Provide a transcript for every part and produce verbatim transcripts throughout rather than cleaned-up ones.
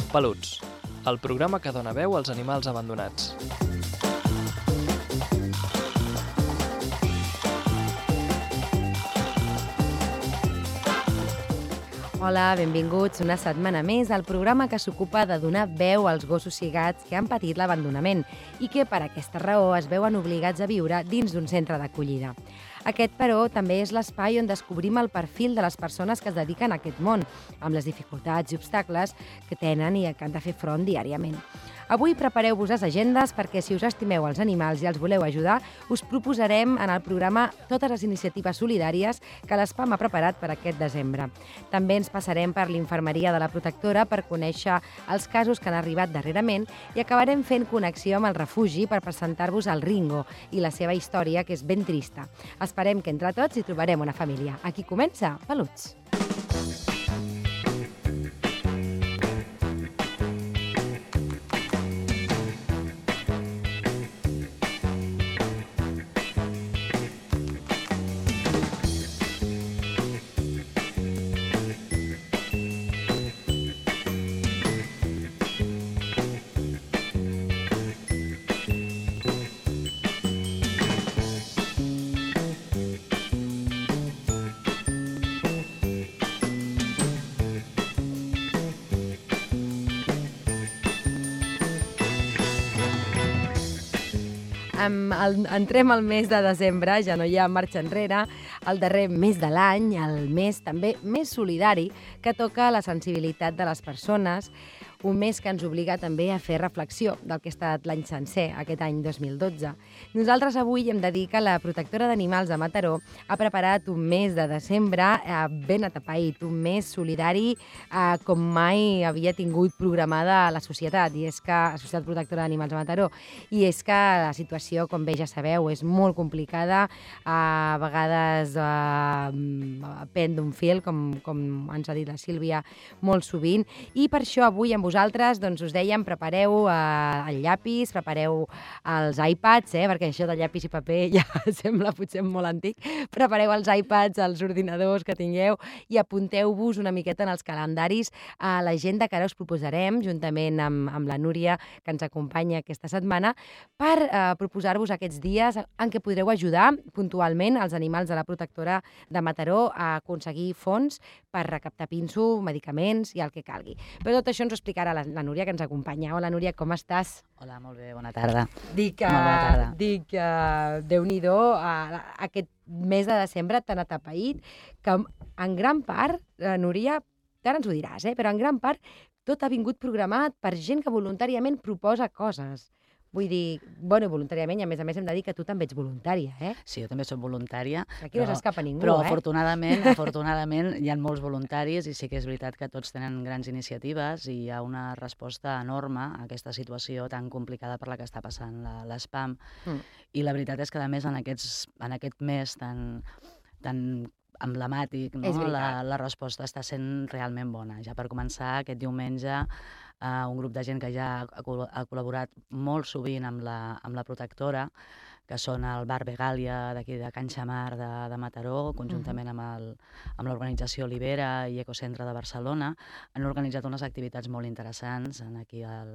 Peluts, el programa que dona veu als animals abandonats. Hola, benvinguts una setmana més al programa que s'ocupa de donar veu als gossos cigats que han patit l'abandonament i que per aquesta raó es veuen obligats a viure dins d'un centre d'acollida. Aquest, però, també és l'espai on descobrim el perfil de les persones que es dediquen a aquest món, amb les dificultats i obstacles que tenen i que han de fer front diàriament. Avui prepareu-vos les agendes perquè, si us estimeu els animals i els voleu ajudar, us proposarem en el programa totes les iniciatives solidàries que l'Spam ha preparat per aquest desembre. També ens passarem per l'infermeria de la Protectora per conèixer els casos que han arribat darrerament i acabarem fent connexió amb el refugi per presentar-vos el Ringo i la seva història, que és ben trista. Esperem que entre tots hi trobarem una família. Aquí comença Peluts. Um, el, entrem al mes de desembre, ja no hi ha marxa enrere, el darrer mes de l'any, el mes també més solidari, que toca la sensibilitat de les persones, un mes que ens obliga també a fer reflexió del que ha estat l'any sencer, aquest any dos mil dotze. Nosaltres avui hem de dir que la Protectora d'Animals de Mataró ha preparat un mes de desembre eh, ben atapeït, un mes solidari eh, com mai havia tingut programada la societat, i és que la Societat Protectora d'Animals de Mataró, i és que la situació, com bé ja sabeu, és molt complicada, a vegades eh, pen d'un fil, com, com ens ha dit la Sílvia, molt sovint, i per això avui amb vosaltres, doncs us dèiem, prepareu eh, el llapis, prepareu els iPads, eh, perquè això de llapis i paper ja sembla potser molt antic, prepareu els iPads, els ordinadors que tingueu i apunteu-vos una miqueta en els calendaris a l'agenda que ara us proposarem, juntament amb, amb la Núria, que ens acompanya aquesta setmana, per eh, proposar-vos aquests dies en què podreu ajudar puntualment els animals de la Protectora de Mataró a aconseguir fons per recaptar pinso, medicaments i el que calgui. Però tot això ens ho explicarà ara la, la Núria, que ens acompanya. Hola, Núria, com estàs? Hola, molt bé, bona tarda. Dic, molt bona tarda. Dic uh, Déu-n'hi-do, uh, aquest mes de desembre tan atapeït, que en gran part, uh, Núria, ara ens ho diràs, eh, però en gran part tot ha vingut programat per gent que voluntàriament proposa coses. Vull dir, bueno, voluntàriament, i a més a més hem de dir que tu també ets voluntària, eh? Sí, jo també soc voluntària. Aquí no s'escapa ningú, però, eh? Però afortunadament, afortunadament hi ha molts voluntaris i sí que és veritat que tots tenen grans iniciatives i hi ha una resposta enorme a aquesta situació tan complicada per la que està passant l'Spam. Mm. I la veritat és que, a més, en, aquests, en aquest mes tan, tan emblemàtic, no? la, la resposta està sent realment bona. Ja per començar, aquest diumenge, Uh, un grup de gent que ja ha, ha col·laborat molt sovint amb la, amb la Protectora, que són el Bar Begàlia d'aquí de Can Xamar de, de Mataró, conjuntament amb, el, amb l'organització Libera i Ecocentre de Barcelona, han organitzat unes activitats molt interessants en aquí al,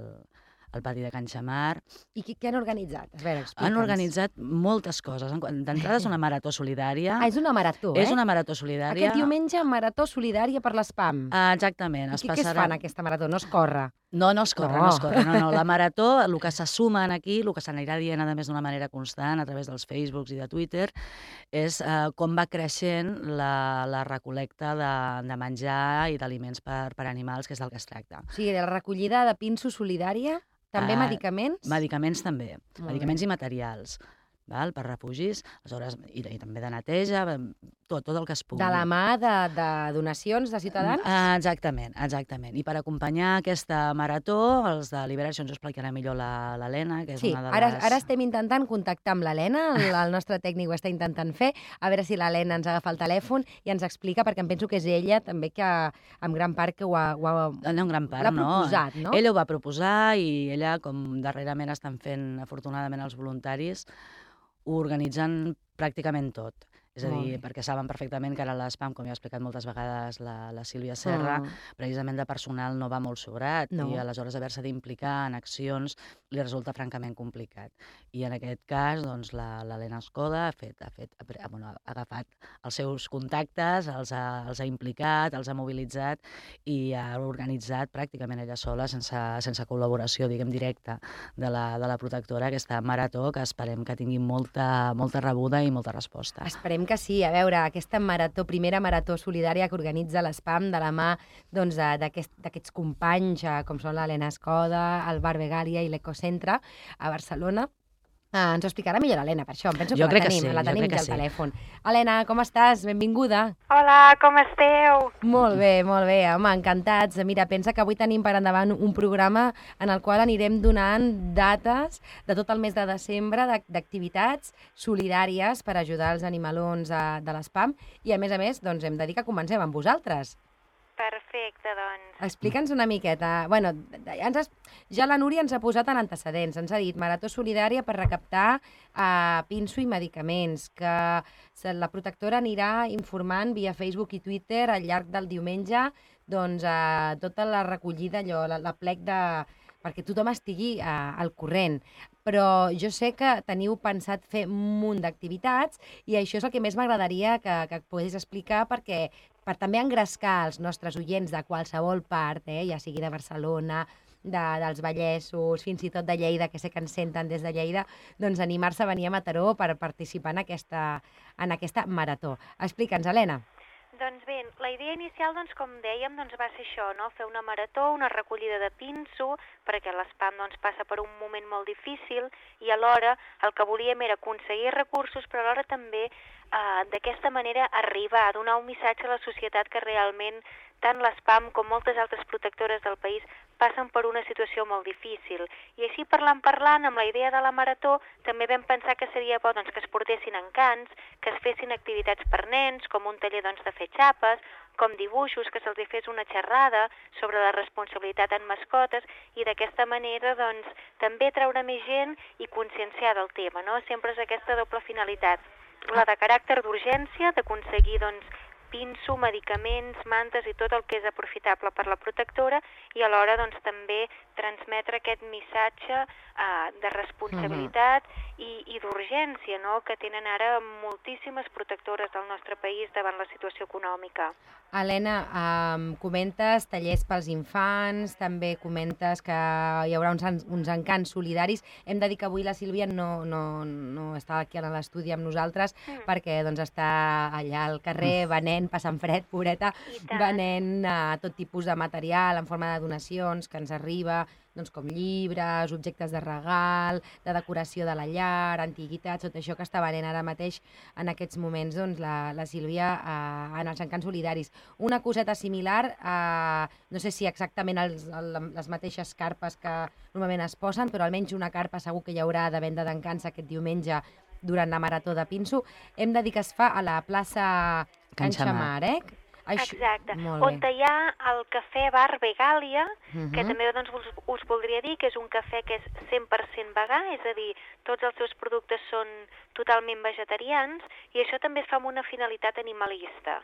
al pati de Can Xamar. I què, què han organitzat? A veure, explica'ns. Han organitzat moltes coses. D'entrada és una marató solidària. Ah, és una marató, eh? És una marató solidària. Aquest diumenge, marató solidària per l'Spam. Ah, exactament. I què, què es fa en aquesta marató? No es corre? No, no es corre, no, no es corre. No, no. La marató, el que se suma aquí, el que s'anirà dient, a més, d'una manera constant, a través dels Facebooks i de Twitter, és eh, com va creixent la, la recol·lecta de, de menjar i d'aliments per, per animals, que és del que es tracta. O sigui, la recollida de pinso solidària, també uh, medicaments? Medicaments també, Molt medicaments bé. I materials. Val? Per refugis, aleshores, i, i també de neteja, tot, tot el que es pugui. De la mà de, de donacions de ciutadans? Ah, exactament, exactament. I per acompanyar aquesta marató, els de Liberació ens ho explicarà millor l'Helena, que és sí, una de les... Ara, ara estem intentant contactar amb l'Helena, el, el nostre tècnic ho està intentant fer, a veure si l'Helena ens agafa el telèfon i ens explica, perquè em penso que és ella també que, en gran part, que ho ha, ho ha, no, en gran part, l'ha proposat, no? Ella ho va proposar i ella, com darrerament estan fent, afortunadament, els voluntaris, ho organitzen pràcticament tot. És a dir, perquè saben perfectament que ara l'espam, com ja ha explicat moltes vegades la, la Sílvia Serra, Mm. precisament de personal no va molt sobrat No. i aleshores haver-se d'implicar en accions li resulta francament complicat. I en aquest cas, doncs, la- l'Helena Escoda ha, fet, ha, fet, ha, pre- ha, bueno, ha agafat els seus contactes, els ha, els ha implicat, els ha mobilitzat i ha organitzat pràcticament ella sola, sense, sense col·laboració, diguem, directa de la, de la protectora, aquesta marató que esperem que tingui molta, molta rebuda i molta resposta. Esperem que sí. A veure, aquesta marató, primera marató solidària que organitza l'Espam de la mà doncs, de- d'aquest- d'aquests companys, eh, com són l'Helena Escoda, el Bar Vegàlia i l'Ecocentre a Barcelona. Eh, ens ho explicarà millor l'Helena, per això. Em penso que Jo la crec que tenim, sí, la jo tenim crec que aquí al sí. telèfon. Helena, com estàs? Benvinguda. Hola, com esteu? Molt bé, molt bé, home, encantats. Mira, pensa que avui tenim per endavant un programa en el qual anirem donant dates de tot el mes de desembre d'ac- d'activitats solidàries per ajudar els animalons eh, de l'Espam i, a més a més, doncs hem de dir que comencem amb vosaltres. Perfecte, doncs. Explica'ns una miqueta. Bueno, ja, ens has, ja la Núria ens ha posat en antecedents. Ens ha dit marató solidària per recaptar eh, pinso i medicaments, que se- la protectora anirà informant via Facebook i Twitter al llarg del diumenge doncs, eh, tota la recollida, allò, la, la plec de perquè tothom estigui eh, al corrent. Però jo sé que teniu pensat fer un munt d'activitats i això és el que més m'agradaria que, que pogués explicar perquè per també engrescar els nostres oients de qualsevol part, eh, ja sigui de Barcelona, de, dels Vallesos, fins i tot de Lleida, que sé que ens senten des de Lleida, doncs animar-se a venir a Mataró per participar en aquesta, en aquesta marató. Explica'ns, Helena. Doncs bé, la idea inicial, doncs, com dèiem, doncs, va ser això, no? Fer una marató, una recollida de pinso, perquè l'espam doncs, passa per un moment molt difícil i alhora el que volíem era aconseguir recursos, però alhora també eh, d'aquesta manera arribar a donar un missatge a la societat que realment tant l'espam com moltes altres protectores del país passen per una situació molt difícil. I així parlant, parlant, amb la idea de la marató, també vam pensar que seria bo doncs, que es portessin encants, que es fessin activitats per nens, com un taller doncs, de fer xapes, com dibuixos, que se'ls hi fes una xerrada sobre la responsabilitat en mascotes i d'aquesta manera doncs, també treure més gent i conscienciar del tema, no? Sempre és aquesta doble finalitat, la de caràcter d'urgència, d'aconseguir doncs, pinso, medicaments, mantes i tot el que és aprofitable per la protectora i alhora doncs, també transmetre aquest missatge eh, de responsabilitat uh-huh. i, i d'urgència no? que tenen ara moltíssimes protectores del nostre país davant la situació econòmica. Helena, um, comentes tallers pels infants, també comentes que hi haurà uns, uns encants solidaris. Hem de dir que avui la Sílvia no, no, no està aquí a l'estudi amb nosaltres mm. perquè doncs, està allà al carrer venent, passant fred, pobreta, venent uh, tot tipus de material en forma de donacions que ens arriba, doncs, com llibres, objectes de regal, de decoració de la llar, antiguitats, tot això que està venent ara mateix en aquests moments doncs, la, la Sílvia eh, en els encants solidaris. Una coseta similar, eh, no sé si exactament els, el, les mateixes carpes que normalment es posen, però almenys una carpa segur que hi haurà de venda d'encants aquest diumenge durant la marató de Pinso. Hem de dir que es fa a la plaça Can Xamar, eh? Això, exacte, on hi ha el cafè Bar Vegàlia, uh-huh. que també doncs, us, us voldria dir que és un cafè que és cent per cent vegà, és a dir, tots els seus productes són totalment vegetarians i això també fa amb una finalitat animalista.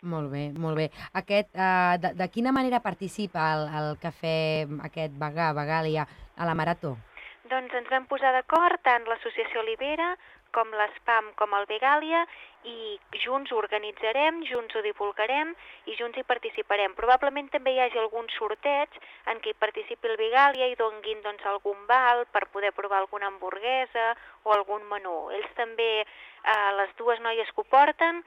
Molt bé, molt bé. Aquest, uh, de, de quina manera participa el, el cafè aquest vegà, Vegàlia, a la marató? Doncs ens vam posar d'acord tant l'associació Olivera com l'Espam com el Vegàlia i junts ho organitzarem, junts ho divulgarem i junts hi participarem. Probablement també hi hagi algun sorteig en què hi participi el Vegàlia i donguin doncs, algun val per poder provar alguna hamburguesa o algun menú. Ells també, eh, les dues noies que ho porten,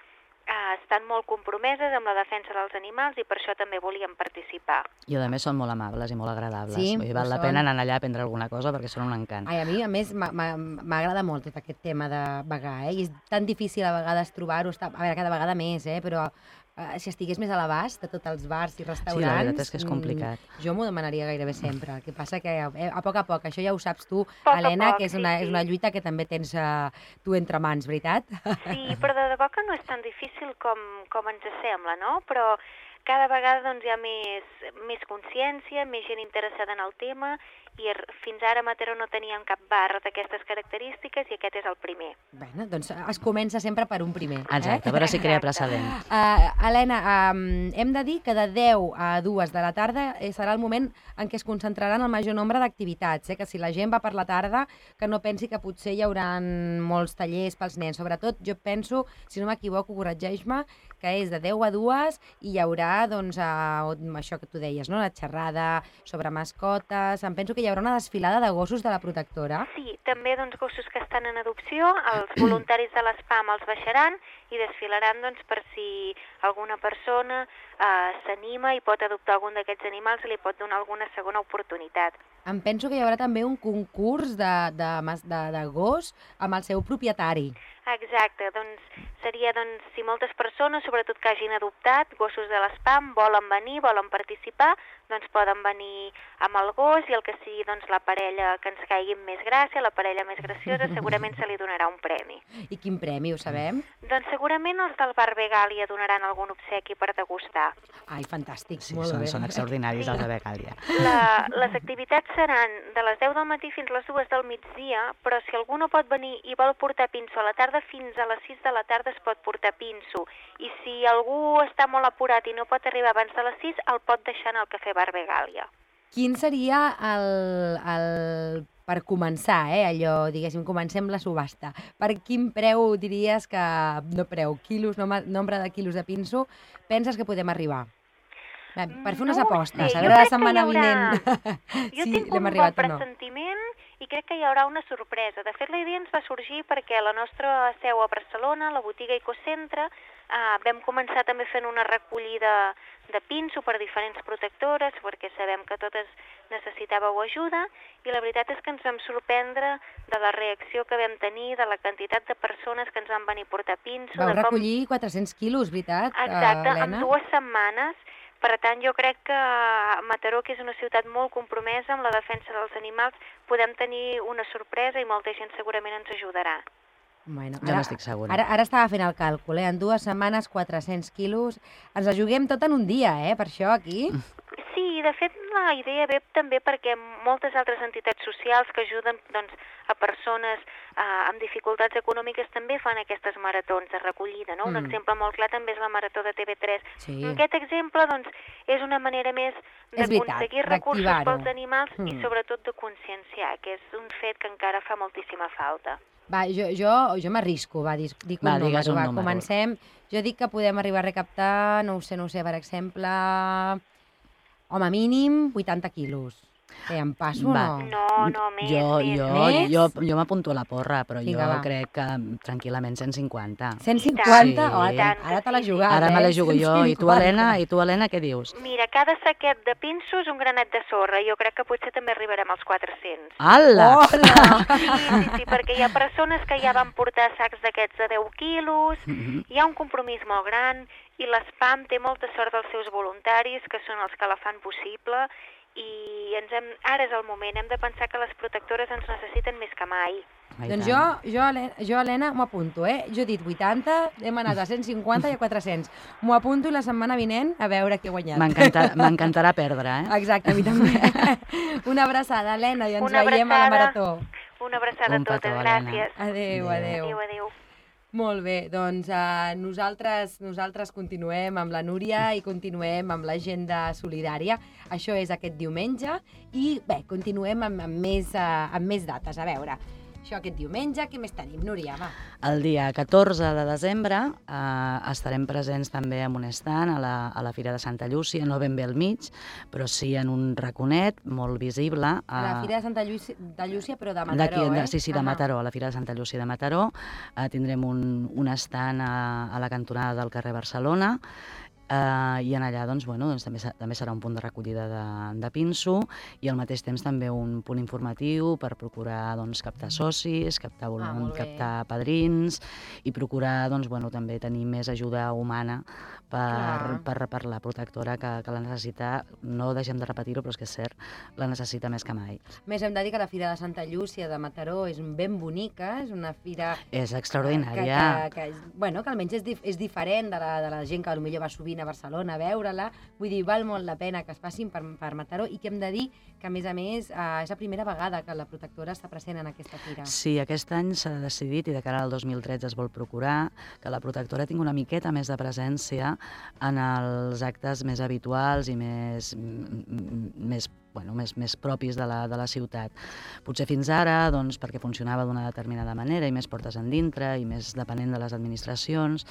Uh, estan molt compromeses amb la defensa dels animals i per això també volíem participar. I a més són molt amables i molt agradables. Sí, Vull dir, val la pena anar allà a prendre alguna cosa perquè són un encant. Ai, a mi, a més, m'agrada molt tot aquest tema de vegà, eh? I és tan difícil a vegades trobar-ho, a veure, cada vegada més, eh? Però uh, si estigués més a l'abast de tots els bars i restaurants... Sí, la veritat és que és complicat. Mm, jo m'ho demanaria gairebé sempre. El que passa que a, a poc a poc, això ja ho saps tu, poc Helena, poc, que és sí, una, sí. és una lluita que també tens uh, tu entre mans, veritat? Sí, però de debò que no és tan difícil com, com ens sembla, no? Però cada vegada doncs, hi ha més, més consciència, més gent interessada en el tema i fins ara a Mataró no teníem cap bar d'aquestes característiques i aquest és el primer. Bé, doncs es comença sempre per un primer. Exacte, eh? a veure si crea precedent. Uh, Helena, um, hem de dir que de deu a dues de la tarda eh, serà el moment en què es concentraran el major nombre d'activitats, eh? Que si la gent va per la tarda, que no pensi que potser hi haurà molts tallers pels nens. Sobretot, jo penso, si no m'equivoco, corregeix-me, que és de deu a dues i hi haurà, doncs, uh, això que tu deies, no? La xerrada sobre mascotes. Em penso que hi haurà una desfilada de gossos de la protectora. Sí, també doncs, gossos que estan en adopció, els voluntaris de l'ESPAM els baixaran i desfilaran doncs, per si alguna persona eh, s'anima i pot adoptar algun d'aquests animals i li pot donar alguna segona oportunitat. Em penso que hi haurà també un concurs de, de, de, de gos amb el seu propietari. Exacte, doncs seria doncs, si moltes persones, sobretot que hagin adoptat gossos de l'ESPAM, volen venir, volen participar, doncs poden venir amb el gos i el que sigui doncs, la parella que ens caigui més gràcia, la parella més graciosa, segurament se li donarà un premi. I quin premi, ho sabem? Doncs segurament els del Bar Begàlia donaran algun obsequi per degustar. Ai, fantàstic, Sí, molt són, bé. són extraordinaris els de Becàlia. La, les activitats seran de les deu del matí fins a les dues del migdia, però si algú no pot venir i vol portar pinso a la tarda, fins a les sis de la tarda es pot portar pinso. I si algú està molt apurat i no pot arribar abans de les sis, el pot deixar en el Cafè Bar Begàlia. Quin seria el, el... per començar, eh, allò, diguéssim, comencem la subhasta. Per quin preu diries que, no preu, quilos, nom nombre de quilos de pinso, penses que podem arribar? Bé, per fer unes no apostes, sé, a veure la jo crec que setmana hi haurà... vinent Jo si tinc l'hem un arribat bon o no. pressentiment i crec que hi haurà una sorpresa. De fet, la idea ens va sorgir perquè la nostra seu a Barcelona, la botiga Ecocentre, eh, vam començar també fent una recollida de pinso per diferents protectores, perquè sabem que totes necessitàveu ajuda, i la veritat és que ens vam sorprendre de la reacció que vam tenir, de la quantitat de persones que ens van venir a portar pinso. Vau de com... recollir quatre-cents quilos, veritat, Exacte, Helena? en dues setmanes. Per tant, jo crec que Mataró, que és una ciutat molt compromesa amb la defensa dels animals, podem tenir una sorpresa i molta gent segurament ens ajudarà. Bueno, Jo n'estic segura. Ara, ara estava fent el càlcul, eh? En dues setmanes, quatre-cents quilos. Ens la juguem tot en un dia, eh? Per això, aquí. Sí, de fet, la idea ve també perquè moltes altres entitats socials que ajuden doncs, a persones eh, amb dificultats econòmiques també fan aquestes maratons de recollida, no? Un Mm. exemple molt clar també és la marató de T V tres. Sí. Aquest exemple doncs, és una manera més És veritat, d'aconseguir recursos d'activar-ho. pels animals Mm. i sobretot de conscienciar, que és un fet que encara fa moltíssima falta. Va, jo, jo, jo m'arrisco, va, dic, dic un Va, digues número, un va, número. comencem. Jo dic que podem arribar a recaptar, no ho sé, no ho sé, per exemple, home, mínim vuitanta quilos. Eh, em passo Va. o no? No, no, més, Jo, més. jo, Més? jo, jo m'apunto a la porra, però Vinga, jo va. crec que tranquil·lament cent cinquanta. cent cinquanta? Sí. Oh, I tant, tant ara que te l'has sí. jugat, Ara me eh? la jugo jo. I tu, cent cinquanta. Helena, i tu, Helena, què dius? Mira, cada saquet de pinso és un granet de sorra. Jo crec que potser també arribarem als quatre-cents. Ala! Hola! Sí, sí, sí, perquè hi ha persones que ja van portar sacs d'aquests de deu quilos, Mhm. hi ha un compromís molt gran i l'ESPAM té molta sort dels seus voluntaris, que són els que la fan possible, i ens hem, ara és el moment, hem de pensar que les protectores ens necessiten més que mai. Ai, Doncs tant. jo, jo, Helena, jo, Helena, m'ho apunto, eh? Jo he dit vuitanta, hem anat a cent cinquanta i a quatre-cents. M'ho apunto i la setmana vinent a veure què he guanyat. M'encanta- M'encantarà perdre, eh? Exacte, a mi també. Una abraçada, Helena, i ens Una veiem a la abraçada. marató. Una abraçada Un a totes, petó, Helena. gràcies. Adéu, adéu. Adéu, adéu. Molt bé, doncs uh, nosaltres, nosaltres continuem amb la Núria i continuem amb l'agenda solidària. Això és aquest diumenge i bé, continuem amb, amb, més, uh, amb més dates. A veure, això aquest diumenge, què més tenim, Núria? Va. El dia catorze de desembre eh, estarem presents també en un stand a la, a la Fira de Santa Llúcia, no ben bé al mig, però sí en un raconet molt visible. A la eh, Fira de Santa Llúcia, de Llúcia però de D'aquí, Mataró, de- eh? Sí, sí, de Ahà. Mataró, a la Fira de Santa Llúcia de Mataró. Eh, tindrem un, un stand a, a la cantonada del carrer Barcelona, eh, i en allà doncs, bueno, doncs, també, se- també serà un punt de recollida de, de pinso i al mateix temps també un punt informatiu per procurar doncs, captar socis, captar, Ah, volum, molt bé. captar padrins i procurar doncs, bueno, també tenir més ajuda humana per, Clar. per, per la protectora que, que la necessita, no deixem de repetir-ho, però és que és cert, la necessita més que mai. Més hem de dir que la Fira de Santa Llúcia de Mataró és ben bonica, és una fira És que, extraordinària. que, que, és- bueno, que almenys és, dif és diferent de la, de la gent que potser va sovint vinguin a Barcelona a veure-la. Vull dir, val molt la pena que es passin per, per Mataró i que hem de dir que, a més a més, eh, és la primera vegada que la protectora està present en aquesta fira. Sí, aquest any s'ha decidit, i de cara al dos mil tretze es vol procurar, que la protectora tingui una miqueta més de presència en els actes més habituals i més, més bueno, més, més propis de la, de la ciutat. Potser fins ara, doncs, perquè funcionava d'una determinada manera i més portes endintre i més depenent de les administracions,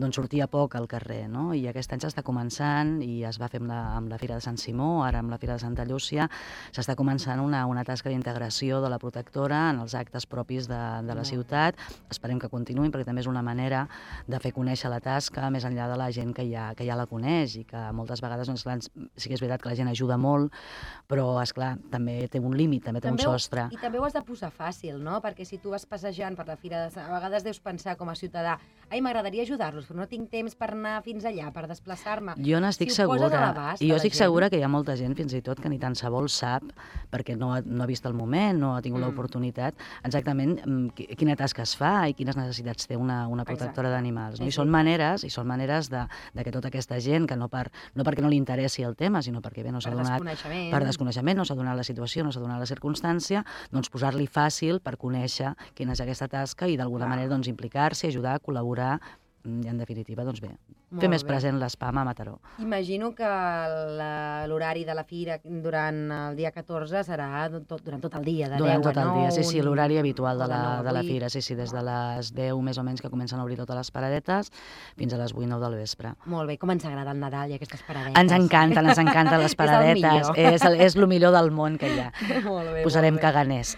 doncs sortia poc al carrer, no? I aquest any s'està començant, i es va fer amb la, amb la Fira de Sant Simó, ara amb la Fira de Santa Llúcia, s'està començant una, una tasca d'integració de la protectora en els actes propis de, de la ciutat. Esperem que continuïn, perquè també és una manera de fer conèixer la tasca més enllà de la gent que ja, que ja la coneix, i que moltes vegades, doncs, clar, sí que és veritat que la gent ajuda molt, però, esclar, també té un límit, també té també un sostre. I també ho has de posar fàcil, no? Perquè si tu vas passejant per la fira, de... a vegades deus pensar com a ciutadà, ai, m'agradaria ajudar-los, però no tinc temps per anar fins allà, per desplaçar-me. Jo n'estic si segura. I jo estic gent... segura que hi ha molta gent, fins i tot, que ni tan se vol sap, perquè no ha, no ha vist el moment, no ha tingut mm. l'oportunitat, exactament quina tasca es fa i quines necessitats té una, una protectora d'animals. No? I són maneres, i són maneres de, de que tota aquesta gent, que no, per, no perquè no li interessi el tema, sinó perquè bé, no s'ha donat... Desconeixement. Per desconeixement, no s'ha donat la situació, no s'ha donat la circumstància, doncs posar-li fàcil per conèixer quina és aquesta tasca i d'alguna manera doncs, implicar-s'hi, ajudar, col·laborar, i en definitiva, doncs bé, fer més present l'espam a Mataró. Imagino que l'horari de la fira durant el dia catorze serà tot, durant tot el dia, de durant deu tot a el nou. dia, sí, sí, l'horari habitual de la, de de la fira, sí, sí, des de les deu més o menys que comencen a obrir totes les paradetes fins a les vuit nou del vespre. Molt bé, com ens agrada el Nadal i aquestes paradetes. Ens encanten, ens encanten les paradetes. és, el és el millor del món que hi ha. Molt bé, Posarem molt bé. caganers,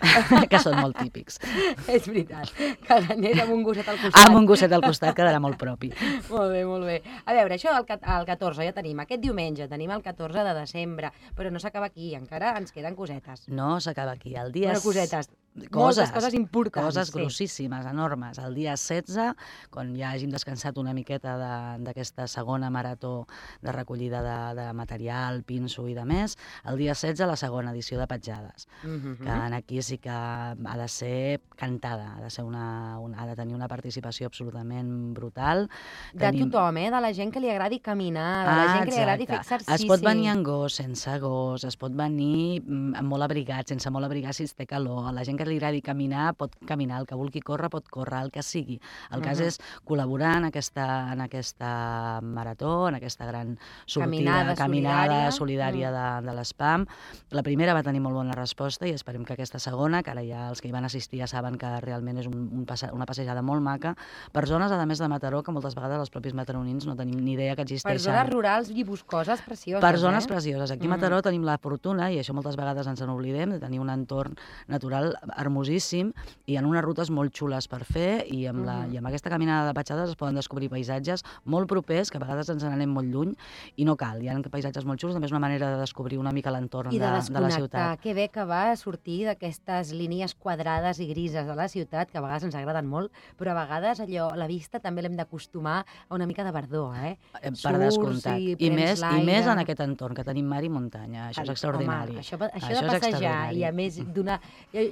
que són molt típics. És veritat, caganers amb un gosset al costat. Amb un gosset al costat quedarà molt propi. Molt bé, molt bé. A veure, això el, el catorze ja tenim. Aquest diumenge tenim el catorze de desembre, però no s'acaba aquí, encara ens queden cosetes. No s'acaba aquí. El dia... Bueno, cosetes. Coses, Moltes coses importants. Coses sí. grossíssimes, enormes. El dia setze, quan ja hàgim descansat una miqueta d'aquesta segona marató de recollida de, de material, pinso i de més, el dia setze la segona edició de Petjades, Mm-hmm. que aquí sí que ha de ser cantada, ha de, ser una, una, ha de tenir una participació absolutament brutal. De Tenim... tothom, eh? De la gent que li agradi caminar, de la Ah, gent que li agradi fer exacte. exercici. Es pot venir en gos, sense gos, es pot venir mm, molt abrigat, sense molt abrigat si es té calor. A la gent que li agradi caminar pot caminar, el que vulgui córrer pot córrer, el que sigui. El cas Mhm. és col·laborar en aquesta, en aquesta marató, en aquesta gran sortida, Caminada caminada solidària. solidària de, de l'espam. La primera va tenir molt bona resposta i esperem que aquesta segona, que ara ja els que hi van assistir ja saben que realment és un, un passe, una passejada molt maca, per zones, a més de Mataró, que moltes vegades els propis mataronins no tenim ni idea que Per existeixen. zones rurals i boscoses precioses, Per zones eh? precioses. Aquí a Mm. Mataró tenim la fortuna, i això moltes vegades ens n'oblidem, de tenir un entorn natural hermosíssim i en unes rutes molt xules per fer, i amb, la, Mhm. i amb aquesta caminada de petjades es poden descobrir paisatges molt propers, que a vegades ens n'anem molt lluny, i no cal. Hi ha paisatges molt xulos, també és una manera de descobrir una mica l'entorn I de, de de la desconnectar. ciutat. Que bé que va sortir d'aquestes línies quadrades i grises de la ciutat, que a vegades ens agraden molt, però a vegades allò, la vista també l'hem d'acostumar a una mica de verdor, eh? Eh, Per Surts descomptat. i I, prens més, I l'aire. més en aquest entorn, que tenim mar i muntanya. Això és extraordinari. Home, això, això, Això de és passejar extraordinari. i a més donar,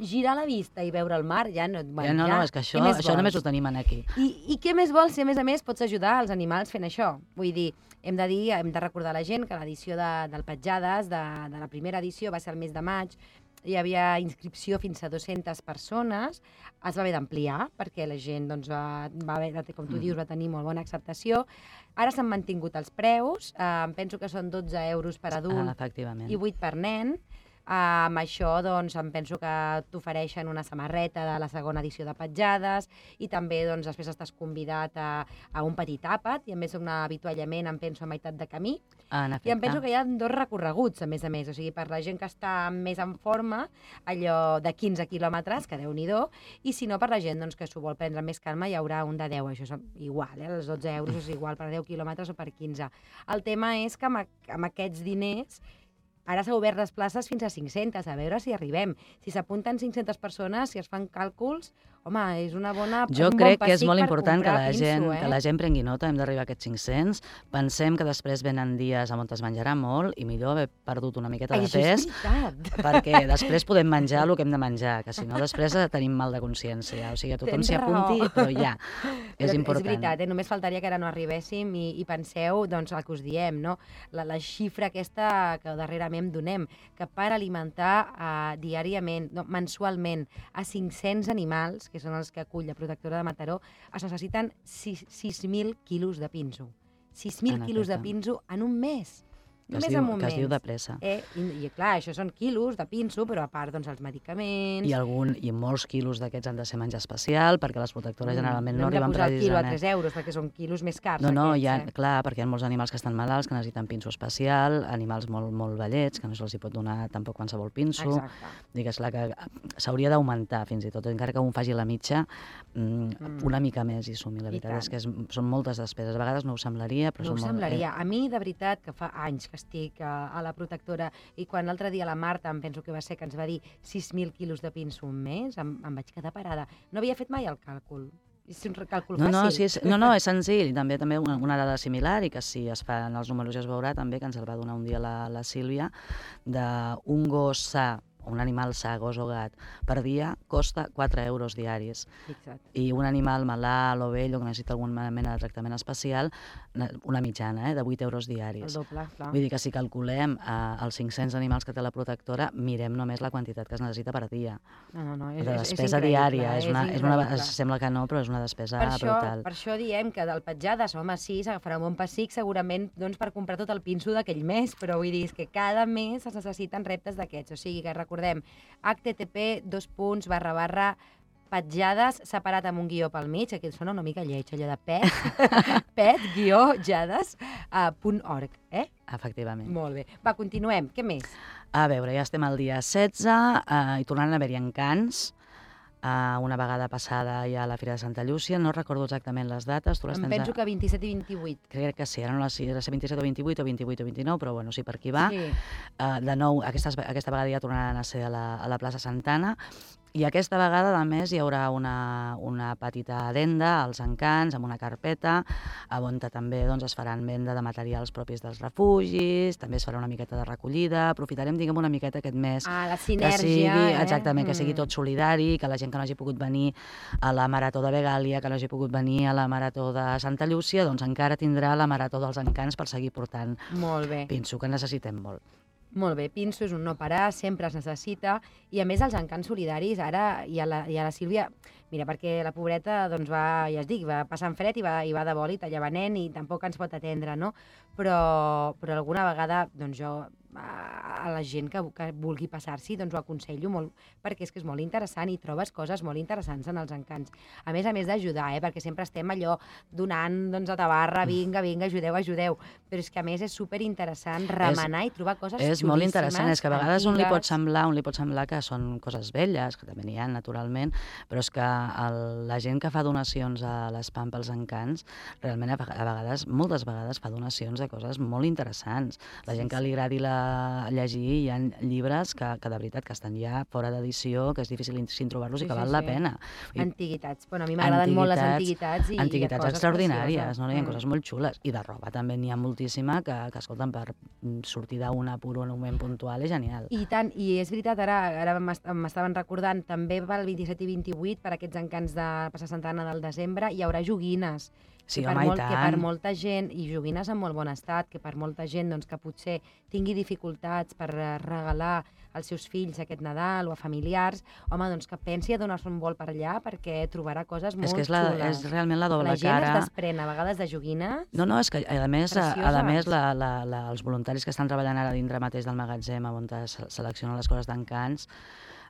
girar la vista i veure el mar, ja no... Bueno, Ja, no, ja, no, és que això, què més això només ho vols? tenim aquí. I, I què més vols si, a més a més, pots ajudar els animals fent això? Vull dir, hem de dir, hem de recordar a la gent que l'edició de, del Petjades, de, de la primera edició, va ser el mes de maig, hi havia inscripció fins a dues-centes persones, es va haver d'ampliar perquè la gent, doncs, va, va haver, com tu dius, va tenir molt bona acceptació. Ara s'han mantingut els preus, eh, em penso que són dotze euros per adult Ah, efectivament. i vuit per nen. Uh, amb això, doncs, em penso que t'ofereixen una samarreta de la segona edició de Petjades i també, doncs, després estàs convidat a, a un petit àpat i, a més, un avituallament, em penso, a meitat de camí. Ah, en I em penso efecte. que hi ha dos recorreguts, a més a més. O sigui, per la gent que està més en forma, allò de quinze quilòmetres, que Déu-n'hi-do, i si no, per la gent doncs, que s'ho vol prendre amb més calma, hi haurà un de deu. Això és igual, eh? Els dotze euros és igual per deu quilòmetres o per quinze. El tema és que amb, amb aquests diners ara s'ha obert les places fins a cinc-centes, a veure si arribem. Si s'apunten cinc-centes persones, si es fan càlculs, home, és una bona, jo un crec bon que és pessic molt per important que comprar la, gent, pinso, eh? que la gent prengui nota, hem d'arribar a aquests cinc-cents, pensem que després venen dies on es menjarà molt i millor haver perdut una miqueta de Això pes, és veritat. perquè després podem menjar el que hem de menjar, que si no després tenim mal de consciència, o sigui, a tothom Tens s'hi apunti, raó. però ja, és Però important. És veritat, eh? Només faltaria que ara no arribéssim i, i penseu doncs, el que us diem, no? la, la xifra aquesta que darrerament donem, que per alimentar eh, diàriament, no, mensualment, a cinc-cents animals, que són els que acull la protectora de Mataró, es necessiten sis mil quilos de pinso. sis mil quilos de pinso en un mes. Que es, Només diu, en un que es mes. diu de pressa. Eh? I, I clar, això són quilos de pinso, però a part doncs, els medicaments... I, algun, I molts quilos d'aquests han de ser menjar especial, perquè les protectores generalment no, no arriben precisament. No hem de posar el quilo a precisament... tres euros, perquè són quilos més cars. No, no, aquests, hi ha, eh? clar, perquè hi ha molts animals que estan malalts, que necessiten pinso especial, animals molt, molt vellets, que no se'ls pot donar tampoc qualsevol pinso. Exacte. Digues, la que s'hauria d'augmentar fins i tot, encara que un faci la mitja, mm, Mm. una mica més i sumi. La I veritat tant. és que és, són moltes despeses. A vegades no ho semblaria, però No ho són molt... semblaria. A mi, de veritat, que fa anys que estic a, a la protectora i quan l'altre dia la Marta, em penso que va ser, que ens va dir sis mil quilos de pinso un mes, em, em vaig quedar parada. No havia fet mai el càlcul. És un càlcul No, no, fàcil. sí, és, no, no, és senzill. També també una, una dada similar, i que si es fan els números ja es veurà també, que ens el va donar un dia la, la Sílvia, d'un gos sa, un animal sa, gos o gat, per dia costa quatre euros diaris. Fixa't. I un animal malalt o vell o que necessita alguna mena de tractament especial, una mitjana, eh, de vuit euros El diaris. doble, clar. Vull dir que si calculem eh, els cinc-cents animals que té la protectora, mirem només la quantitat que es necessita per dia. No, no, no, és, De és, és despesa increïble, diària. És és una, és una, increïble. sembla que no, però és una despesa Per això, brutal. per això diem que del petjades, home, sí, s'agafarà un bon pessic segurament doncs, per comprar tot el pinso d'aquell mes, però vull dir és que cada mes es necessiten reptes d'aquests. O sigui que recordem, h t t p dos punts barra barra petjades separat amb un guió pel mig, aquí sona una mica lleig, allò de pet, pet, guió, jades, uh, punt org, eh? Efectivament. Molt bé. Va, continuem. Què més? A veure, ja estem al dia setze eh, i tornant a haver-hi encants. Uh, una vegada passada ja a la Fira de Santa Llúcia, no recordo exactament les dates. Tu les Em tens penso a... que vint-i-set i vint-i-vuit. Crec que sí, ara no sé si era vint-i-set o vint-i-vuit o vint-i-vuit o vint-i-nou, però bueno, sí, per aquí va. Sí. Uh, de nou, aquestes, aquesta vegada ja tornaran a ser a la, a la plaça Santana, i aquesta vegada, a més, hi haurà una, una petita adenda als encants, amb una carpeta, on també doncs, es faran venda de materials propis dels refugis, també es farà una miqueta de recollida, aprofitarem, diguem, una miqueta aquest mes. Ah, la Que sinergia, sigui, eh? exactament, que sigui Mm. tot solidari, que la gent que no hagi pogut venir a la Marató de Begàlia, que no hagi pogut venir a la Marató de Santa Llúcia, doncs encara tindrà la Marató dels Encants per seguir portant Molt bé. pinso, que necessitem molt. Molt bé, pinso és un no parar, sempre es necessita, i a més els encants solidaris, ara i a la, i a la Sílvia, mira, perquè la pobreta, doncs va, ja es dic, va passant fred i va, i va de bòlit allà venent i tampoc ens pot atendre, no? Però, però alguna vegada, doncs jo, a, a la gent que, que vulgui passar-s'hi, doncs ho aconsello molt, perquè és que és molt interessant i trobes coses molt interessants en els encants. A més a més d'ajudar, eh? Perquè sempre estem allò donant, doncs, a tabarra, vinga, vinga, ajudeu, ajudeu, però és que a més és superinteressant remenar i trobar coses És molt interessant, és que a vegades un li pot antigues. semblar, un li pot semblar que són coses velles, que també n'hi ha, naturalment, però és que el, la gent que fa donacions a l'Espam pels encants, realment a, a vegades, moltes vegades fa donacions de coses molt interessants. La gent que li agradi la, llegir, hi ha llibres que, que de veritat que estan ja fora d'edició, que és difícil sin trobar-los Sí, i que sí, val sí. la pena. I Antiguitats. Bueno, a mi m'agraden molt les antiguitats i, antiguitats i coses extraordinàries, precioses. no? Hi ha Mm. coses molt xules. I de roba també n'hi ha moltíssima que, que escolten, per sortir d'un apur en un moment puntual és genial. I tant, i és veritat, ara, ara m'est- m'estaven recordant, també va el vint-i-set i vint-i-vuit per aquests encants de Plaça Santana del desembre, hi haurà joguines. Sí, que per home, i molt, que per tant. molta gent, i joguines en molt bon estat, que per molta gent doncs, que potser tingui dificultats per eh, regalar als seus fills aquest Nadal o a familiars, home, doncs que pensi a donar-se un vol per allà perquè trobarà coses molt És que és, la, xules. és realment la doble La gent cara. es desprèn a vegades de joguines. No, no, és que a més, a, a Precioses. més la, la, la, els voluntaris que estan treballant ara dintre mateix del magatzem on es seleccionen les coses d'encants,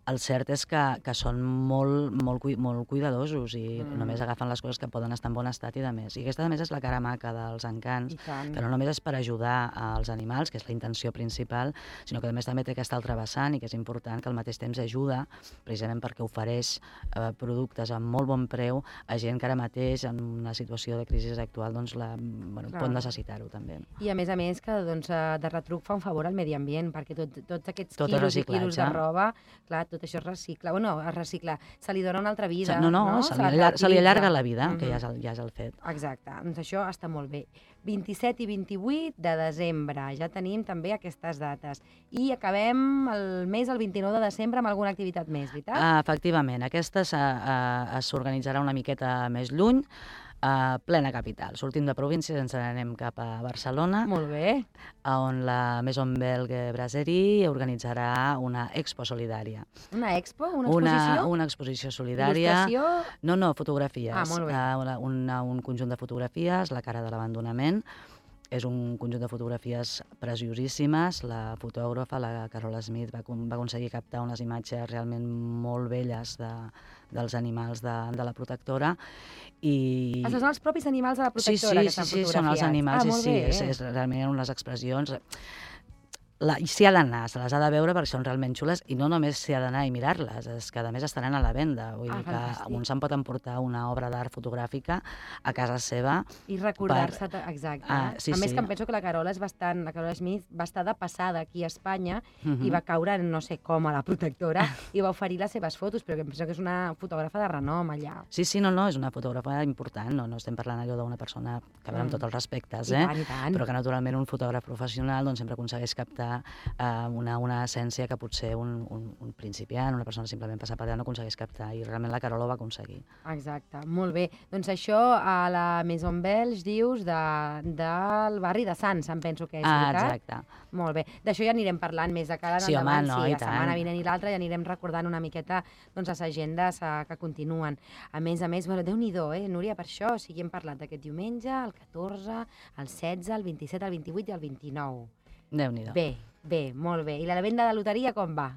el cert és que, que són molt, molt, cui, molt cuidadosos i Mm. només agafen les coses que poden estar en bon estat i de més. I aquesta, a més, és la cara maca dels encants, I tant. que no només és per ajudar als animals, que és la intenció principal, sinó que a més també té aquesta altra vessant i que és important, que al mateix temps ajuda, precisament perquè ofereix eh, productes amb molt bon preu a gent que ara mateix, en una situació de crisi actual, doncs la, bueno, Clar. pot necessitar-ho també. I a més a més que doncs, eh, de retruc fa un favor al medi ambient, perquè tot, tots aquests Tot és quilos i quilos de reciclatge. roba, clar, tot això es recicla. Bueno, es recicla, se li dona una altra vida. No, no, no? se, li allarga, se li allarga la vida, uh -huh. que ja és, el, ja és el fet. Exacte, doncs això està molt bé. vint-i-set i vint-i-vuit de desembre, ja tenim també aquestes dates. I acabem el mes, el vint-i-nou de desembre, amb alguna activitat més, veritat? Uh, efectivament, aquesta s'organitzarà una miqueta més lluny, a plena capital. Sortim de província i ens anem cap a Barcelona, Molt bé. on la Maison Belge Brasserie organitzarà una expo solidària. Una expo? Una Una, exposició? una exposició solidària. Il·lustració? No, no, fotografies. Ah, molt bé. Uh, una, una, un conjunt de fotografies, La cara de l'abandonament. És un conjunt de fotografies preciosíssimes. La fotògrafa, la Carola Smith, va, va aconseguir captar unes imatges realment molt belles de, dels animals de, de la protectora. I... Ah, són els propis animals de la protectora sí, sí, que estan sí, sí, fotografiats? són els animals, ah, sí, molt sí, bé. és, és realment unes expressions... La, i s'hi ha d'anar, se les ha de veure perquè són realment xules i no només s'hi ha d'anar i mirar-les, és que a més estaran a la venda. Vull Ah, dir que fantàstic. un se'n pot emportar una obra d'art fotogràfica a casa seva. I recordar-se, per... exacte. Ah, sí, a més sí. que em penso que la Carola és bastant, la Carola Smith va estar de passada aquí a Espanya Uh -huh. i va caure, no sé com, a la protectora i va oferir les seves fotos, però que em penso que és una fotògrafa de renom allà. Sí, sí, no, no, és una fotògrafa important, no, no estem parlant allò d'una persona que va amb Mm. tots els respectes, I eh? tant, i tant. Però que naturalment un fotògraf professional doncs, sempre aconsegueix captar eh, una, una essència que potser un, un, un principiant, una persona simplement passar per allà no aconsegueix captar, i realment la Carola ho va aconseguir. Exacte, molt bé. Doncs això a la Maison Belge, dius, de, del barri de Sants, em penso que és, Ah, veritat? exacte. Molt bé. D'això ja anirem parlant més de cara en Sí, home, endavant. no, sí, i la tant. setmana vinent i l'altra ja anirem recordant una miqueta doncs, les agendes eh, que continuen. A més a més, bueno, Déu-n'hi-do, eh, Núria, per això, o sigui, hem parlat d'aquest diumenge, el catorze, el setze, el vint-i-set, el vint-i-vuit i el vint-i-nou. Déu-n'hi-do. Bé, bé, molt bé. I la venda de loteria com va?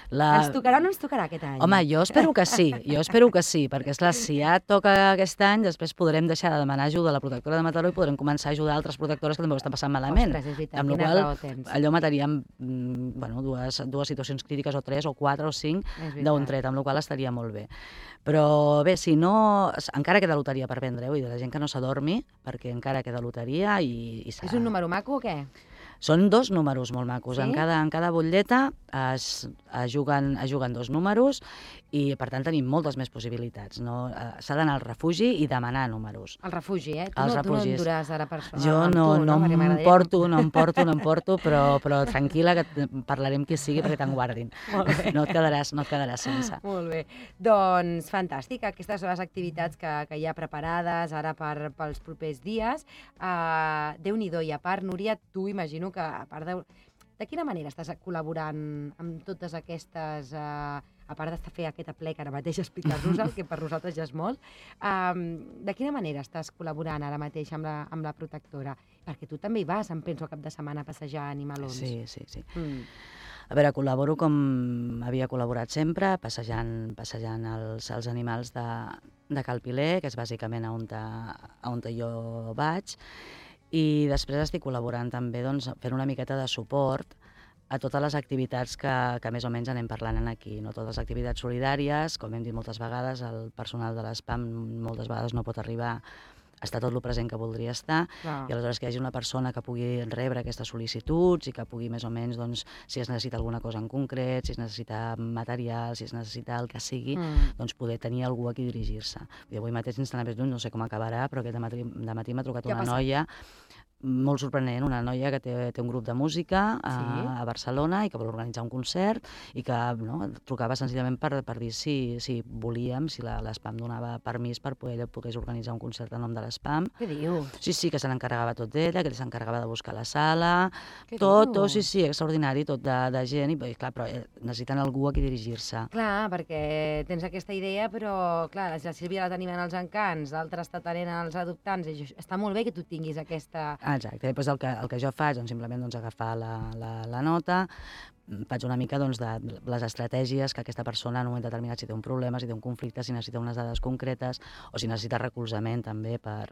La... Ens tocarà o no ens tocarà aquest any? Home, jo espero que sí, jo espero que sí, perquè esclar, si ja toca aquest any, després podrem deixar de demanar ajuda a la protectora de Mataró i podrem començar a ajudar altres protectores que també ho estan passant malament. Ostres, és veritat, amb la quina qual raó tens. allò mataríem mm, bueno, dues, dues situacions crítiques o tres o quatre o cinc És veritat. d'un tret, amb la qual estaria molt bé. Però bé, si no, encara queda loteria per vendre, eh? Vull dir, la gent que no s'adormi, perquè encara queda loteria i, i És un número maco o què? Són dos números molt macos. Sí? En cada, en cada butlleta es, es, juguen, es juguen dos números i, per tant, tenim moltes més possibilitats. No? Eh, S'ha d'anar al refugi i demanar números. El refugi, eh? Tu, Els no, tu no refugis. en duràs ara per Jo amb no, tu, no, Perquè em m'agradaria porto, no em porto, no em porto, però, però tranquil·la que et parlarem qui sigui perquè te'n guardin. Molt bé. No et quedaràs, no et quedaràs sense. Molt bé. Doncs fantàstic, aquestes són les activitats que, que hi ha preparades ara per, pels propers dies. Uh, Déu-n'hi-do, i a part, Núria, tu imagino que a part de... De quina manera estàs col·laborant amb totes aquestes... Uh, a part de fer aquest ple que ara mateix explicar-nos-el, que per nosaltres ja és molt, um, de quina manera estàs col·laborant ara mateix amb la, amb la protectora? Perquè tu també hi vas, em penso, a cap de setmana a passejar animalons. Sí, sí, sí. Mm. A veure, col·laboro com havia col·laborat sempre, passejant, passejant els, els animals de, de Cal Piler, que és bàsicament on, ta, on jo vaig, i després estic col·laborant també doncs, fent una miqueta de suport a totes les activitats que, que més o menys anem parlant aquí. No? Totes les activitats solidàries, com hem dit moltes vegades, el personal de l'ESPAM moltes vegades no pot arribar a estar tot el present que voldria estar, Clar. i aleshores que hi hagi una persona que pugui rebre aquestes sol·licituds i que pugui més o menys, doncs, si es necessita alguna cosa en concret, si es necessita material, si es necessita el que sigui, Mm. doncs poder tenir algú a qui dirigir-se. Avui mateix, sense anar més lluny, no sé com acabarà, però aquest dematí, dematí m'ha trucat Què ha una passat? noia molt sorprenent, una noia que té, té un grup de música a, Sí? a Barcelona i que vol organitzar un concert i que no, trucava senzillament per, per dir si, si volíem, si l'ESPAM donava permís per poder ella pogués organitzar un concert en nom de l'ESPAM. Què dius? Sí, sí, que se n'encarregava tot d'ella, que ella s'encarregava de buscar la sala, Què tot, dius? tot, sí, sí, extraordinari, tot de, de gent, i clar, però eh, necessiten algú a qui dirigir-se. Clar, perquè tens aquesta idea, però clar, la Sílvia la tenim en els encants, l'altra està tenint els adoptants, i això- està molt bé que tu tinguis aquesta... Ah, exacte, després el que, el que jo faig, doncs, simplement doncs, agafar la, la, la nota, faig una mica doncs, de les estratègies que aquesta persona en un moment determinat, si té un problema, si té un conflicte, si necessita unes dades concretes o si necessita recolzament també per,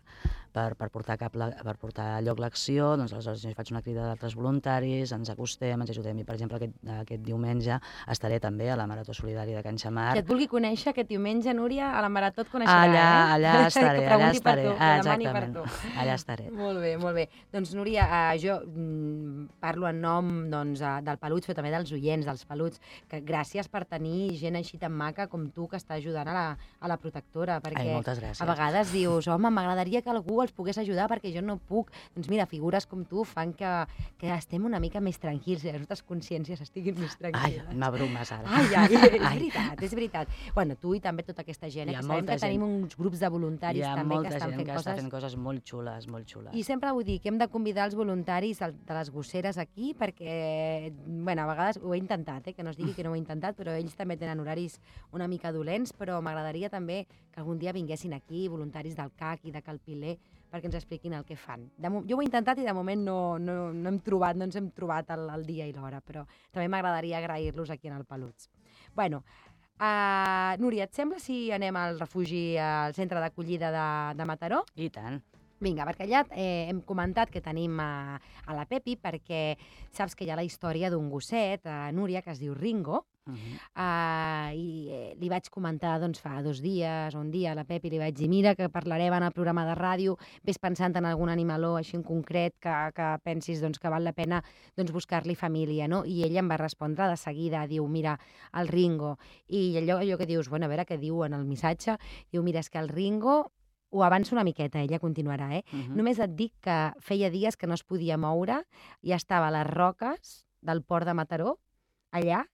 per, per, portar, cap la, per portar a lloc l'acció, doncs aleshores jo faig una crida d'altres voluntaris, ens acostem, ens ajudem, i per exemple aquest, aquest diumenge estaré també a la Marató Solidària de Can Xamar. Qui et vulgui conèixer aquest diumenge, Núria, a la Marató et coneixerà, Allà, eh? allà estaré, Que allà pregunti per estaré, tu, que ah, demani per exactament, tu. allà estaré. Molt bé, molt bé. Doncs, Núria, eh, jo mm, parlo en nom doncs, eh, del Peluig, però també també dels oients, dels peluts, que gràcies per tenir gent així tan maca com tu que està ajudant a la, a la protectora, perquè Ai, moltes gràcies. a vegades dius, home, m'agradaria que algú els pogués ajudar perquè jo no puc. Doncs mira, figures com tu fan que, que estem una mica més tranquils i les nostres consciències estiguin més tranquil·les. Ai, m'abrumes ara. Ai, ai, és ai. veritat, és veritat. Bueno, tu i també tota aquesta gent, eh, que sabem que gent. tenim uns grups de voluntaris també que estan fent coses... Hi ha molta gent que està fent coses molt xules, molt xules. I sempre vull dir que hem de convidar els voluntaris de les gosseres aquí perquè, bueno, a vegades ho he intentat, eh, que no es digui que no ho he intentat, però ells també tenen horaris una mica dolents, però m'agradaria també que algun dia vinguessin aquí voluntaris del C A C i de Cal Piler perquè ens expliquin el que fan. De, jo ho he intentat i de moment no, no, no hem trobat, no ens hem trobat el, el dia i l'hora, però també m'agradaria agrair-los aquí en el Peluts. Bueno, uh, Núria, et sembla si anem al refugi, al centre d'acollida de, de Mataró? I tant. Vinga, perquè allà eh, hem comentat que tenim a, a la Pepi, perquè saps que hi ha la història d'un gosset, a Núria, que es diu Ringo, uh -huh. uh, i eh, li vaig comentar doncs, fa dos dies o un dia a la Pepi, li vaig dir, mira, que parlarem en el programa de ràdio, ves pensant en algun animaló així en concret que, que pensis doncs, que val la pena doncs, buscar-li família, no? I ella em va respondre de seguida, diu, mira, el Ringo. I allò, allò que dius, bueno, a veure què diu en el missatge, diu, mira, és que el Ringo... Ho avanço una miqueta, ella continuarà, eh? Uh -huh. Només et dic que feia dies que no es podia moure i estava a les roques del port de Mataró, allà,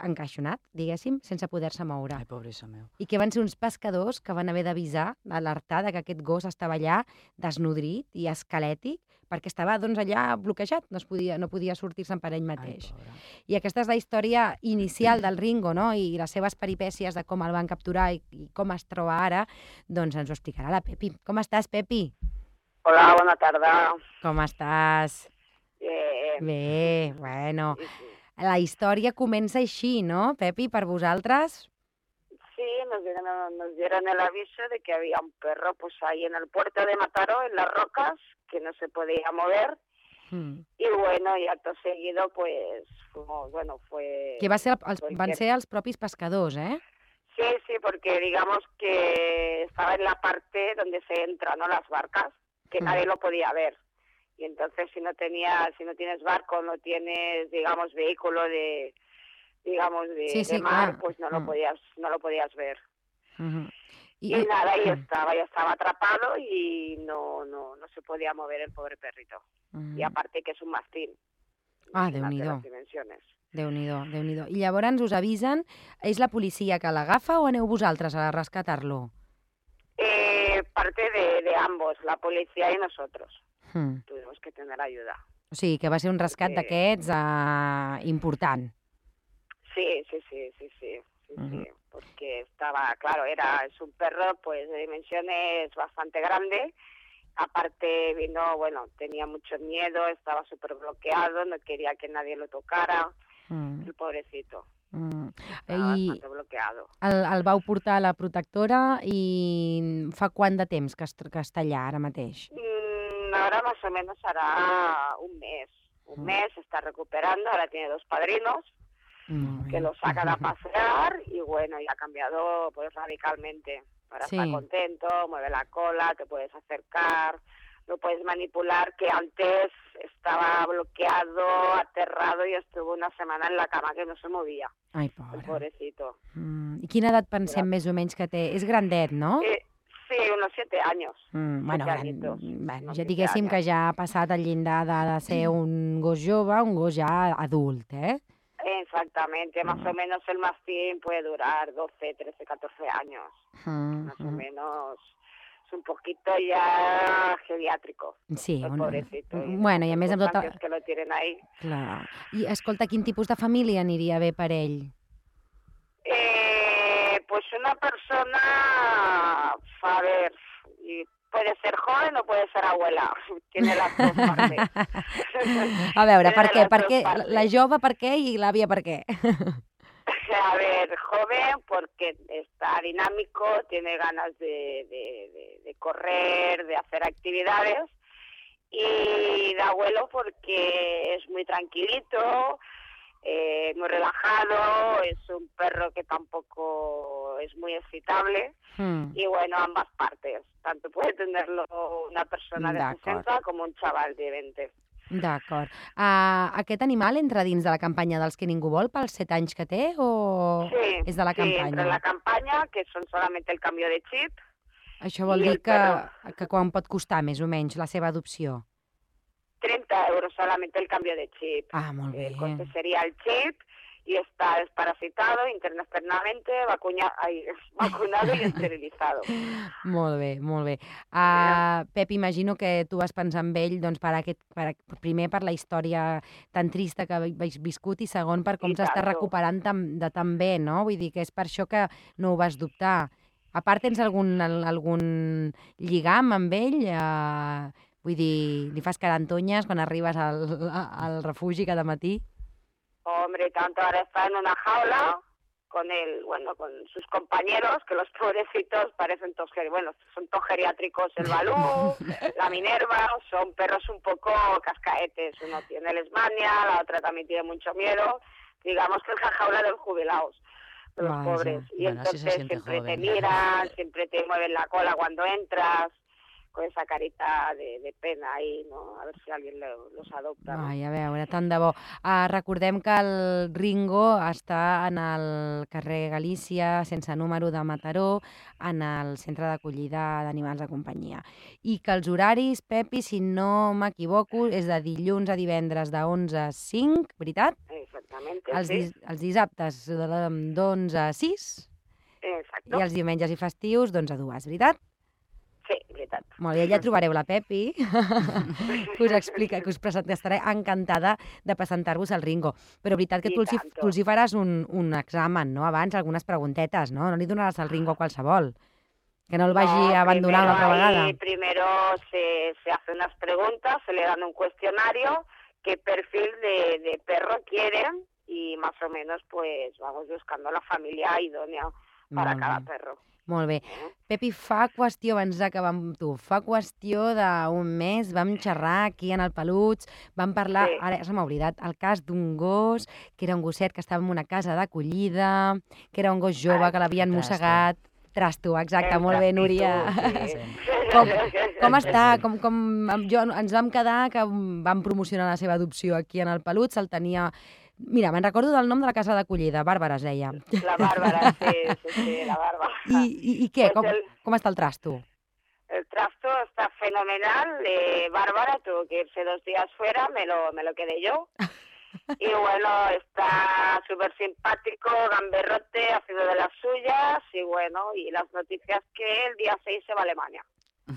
encaixonat, diguéssim, sense poder-se moure. Ai, pobrissa meu. I que van ser uns pescadors que van haver d'avisar, alertar que aquest gos estava allà desnodrit i esquelètic, perquè estava doncs, allà bloquejat, no, es podia, no podia sortir-se'n per ell mateix. Ai, I aquesta és la història inicial del Ringo, no? I les seves peripècies de com el van capturar i, i com es troba ara, doncs ens ho explicarà la Pepi. Com estàs, Pepi? Hola, bona tarda. Com estàs? Bé. Bé, bueno. La història comença així, ¿no, Pepi, per vosaltres? Sí, nos dieron, nos dieron el aviso de que había un perro pues ahí en el puerto de Mataró, en las rocas, que no se podía mover. Mm. Y bueno, y acto seguido, pues, fuimos, bueno, fue... Que va ser els, van ser els propis pescadors, eh? Sí, sí, porque digamos que estaba en la parte donde se entra, ¿no? Las barcas, que mm. nadie lo podía ver. Y entonces si no tenías, si no tienes barco, no tienes, digamos, vehículo de, digamos, de, sí, sí, de mar, claro. pues no lo mm. podías, no lo podías ver. Uh-huh. Y, y nada, ahí estaba, ya estaba atrapado y no, no, no se podía mover el pobre perrito. Uh-huh. Y aparte que es un mastín. Ah, Déu-n'hi-do. Dimensiones. Déu-n'hi-do, Déu-n'hi-do. I llavors us avisen, és la policia que l'agafa o aneu vosaltres a rescatar-lo? Eh, parte de, de ambos, la policía y nosotros. Hmm. Tuvimos que tener ayuda. O sigui, que va ser un rescat Porque... d'aquests uh, important. Sí, sí, sí, sí, sí, sí, Uh-huh. sí, porque estaba, claro, era, es un perro pues de dimensiones bastante grande, aparte vino, bueno, tenía mucho miedo, estaba súper bloqueado, no quería que nadie lo tocara, uh-huh. el pobrecito. Mm. Estava I bastante bloqueado. El, el vau portar a la protectora i fa quant de temps que, es, que està allà ara mateix? Mm, ahora más o menos hará un mes. Un mm. mes, se está recuperando, ahora tiene dos padrinos mm. que lo sacan a pasear y bueno, y ha cambiado pues radicalmente. Ahora sí. Está contento, mueve la cola, te puedes acercar, lo puedes manipular, que antes estaba bloqueado, aterrado y estuvo una semana en la cama que no se movia. Ai, pobre. El pobrecito. Mm. I quina edat pensem Però... més o menys que té? És grandet, no? Eh, sí, unos siete años. Mm, bueno, gran... bueno, ja diguéssim que ja ha passat el llindar de, de ser un gos jove, un gos ja adult, eh? Exactamente, más mm. o menos el mastín puede durar doce, trece, catorce años. Mm, más mm. o menos... és un poquito ya geriátrico. Sí, el una... pobrecito. Bueno, i a més amb tota... que lo tiren ahí. Clar. I escolta, quin tipus de família aniria bé per ell? Eh, pues una persona, a ver, puede ser joven o puede ser abuela. Tiene las dos partes. A veure, per què? Per què? La jove per què i l'àvia per què? A ver, joven porque está dinámico, tiene ganas de, de, de, de correr, de hacer actividades, y de abuelo porque es muy tranquilito, eh, muy relajado, es un perro que tampoco es muy excitable, hmm. y bueno, ambas partes, tanto puede tenerlo una persona de sesenta como un chaval de veinte. D'acord. Uh, aquest animal entra dins de la campanya dels que ningú vol pels set anys que té o Sí, és de la sí, entra en campanya? la campaña, que son solamente el cambio de chip. Això vol I dir el que, perro. que quan pot costar més o menys la seva adopció? treinta euros solamente el cambio de chip. Ah, molt bé. El coste sería el chip y está desparasitado internamente, vacuna, ay, vacunado y esterilizado. Molt bé, molt bé. Uh, Pep, imagino que tu vas pensar en ell doncs, per aquest, per, primer per la història tan trista que habéis viscut i segon per com I s'està tanto. recuperant tan, de tan bé, no? Vull dir que és per això que no ho vas dubtar. A part, tens algun, algun lligam amb ell? Uh, vull dir, li fas carantonyes quan arribes al, al refugi cada matí? Hombre, tanto ahora está en una jaula con el, bueno, con sus compañeros, que los pobrecitos parecen todos, geri- bueno, son todos geriátricos, el Balú, la Minerva, son perros un poco cascaetes. Uno tiene lesmania, la otra también tiene mucho miedo. Digamos que es la jaula de los jubilados, de los Vaya. pobres. Y Bueno, así se entonces siente siempre te joven. miran, siempre te mueven la cola cuando entras, con esa carita de, de pena ahí, ¿no? A ver si alguien lo- los adopta, ¿no? Ai, a veure, tant de bo. Uh, recordem que el Ringo està en el carrer Galícia, sense número de Mataró, en el centre d'acollida d'animals de companyia. I que els horaris, Pepi, si no m'equivoco, és de dilluns a divendres de onze a cinc, veritat? Exactamente, Els, sí. dis els dissabtes de- d'onze a sis Exacto. i els diumenges i festius d'onze a dues, veritat? Sí, veritat. Molt bé, ja trobareu la Pepi, que us explica, que us presenta, estaré encantada de presentar-vos al Ringo. Però veritat que I tu els, hi, tanto. tu els hi faràs un, un examen, no?, abans, algunes preguntetes, no? No li donaràs al Ringo a qualsevol. Que no el vagi a abandonar una altra primero vegada. ahí, primero se, se hace unas preguntas, se le dan un cuestionario, qué perfil de, de perro quieren y más o menos pues vamos buscando la familia idónea para Molt cada bé. perro. Molt bé. Eh? Pepi, fa qüestió, abans d'acabar amb tu, fa qüestió d'un mes vam xerrar aquí en el Peluts, vam parlar, Sí. ara se m'ha oblidat, el cas d'un gos, que era un gosset que estava en una casa d'acollida, que era un gos jove Ah, que l'havien Trasto. mossegat. Trasto, exacte, El molt bé, trastito, Núria. sí. Com, com està? Com, com, amb- jo, ens vam quedar que vam promocionar la seva adopció aquí en el Peluts, el tenia... Mira, me'n recordo del nom de la casa d'acollida, Bàrbara es deia. La Bárbara, sí, sí, sí, la Bárbara. I, i, i què? Pues Com, el- com està el trasto? El trasto está fenomenal. Eh, Bárbara tuvo que irse dos días fuera, me lo, me lo quedé yo. Y bueno, está súper simpático, gamberrote, haciendo de las suyas. Y bueno, y las noticias que el día seis se va a Alemania.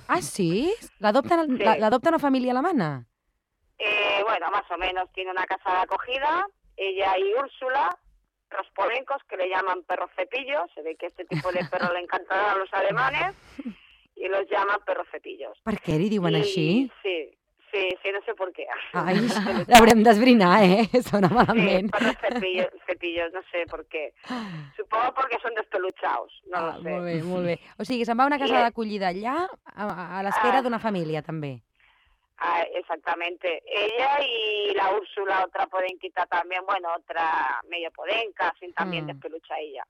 Ah, sí? L'adopta Sí. la- l'adopta una família alemana? Eh, bueno, más o menos tiene una casa de acogida. Ella y Úrsula, los polencos, que le llaman perros cepillos. Se ve que este tipo de perro le encantará a los alemanes. Y los llaman perros cepillos. Per què li diuen Y- així? Sí, sí, sí, no sé por qué. Ai, l'haurem d'esbrinar, eh? Sona Sí, malament. perros cepillos, cepillos, no sé por qué. Supongo porque son despeluchados, no Ah, lo sé. molt bé, molt bé. O sigui, se'n va a una casa I- d'acollida allà, a, a l'espera Ah. d'una família, també. Ah, exactamente. Ella y la Úrsula, otra podenquita también, bueno, otra medio podenca, así también Mm. despelucha ella.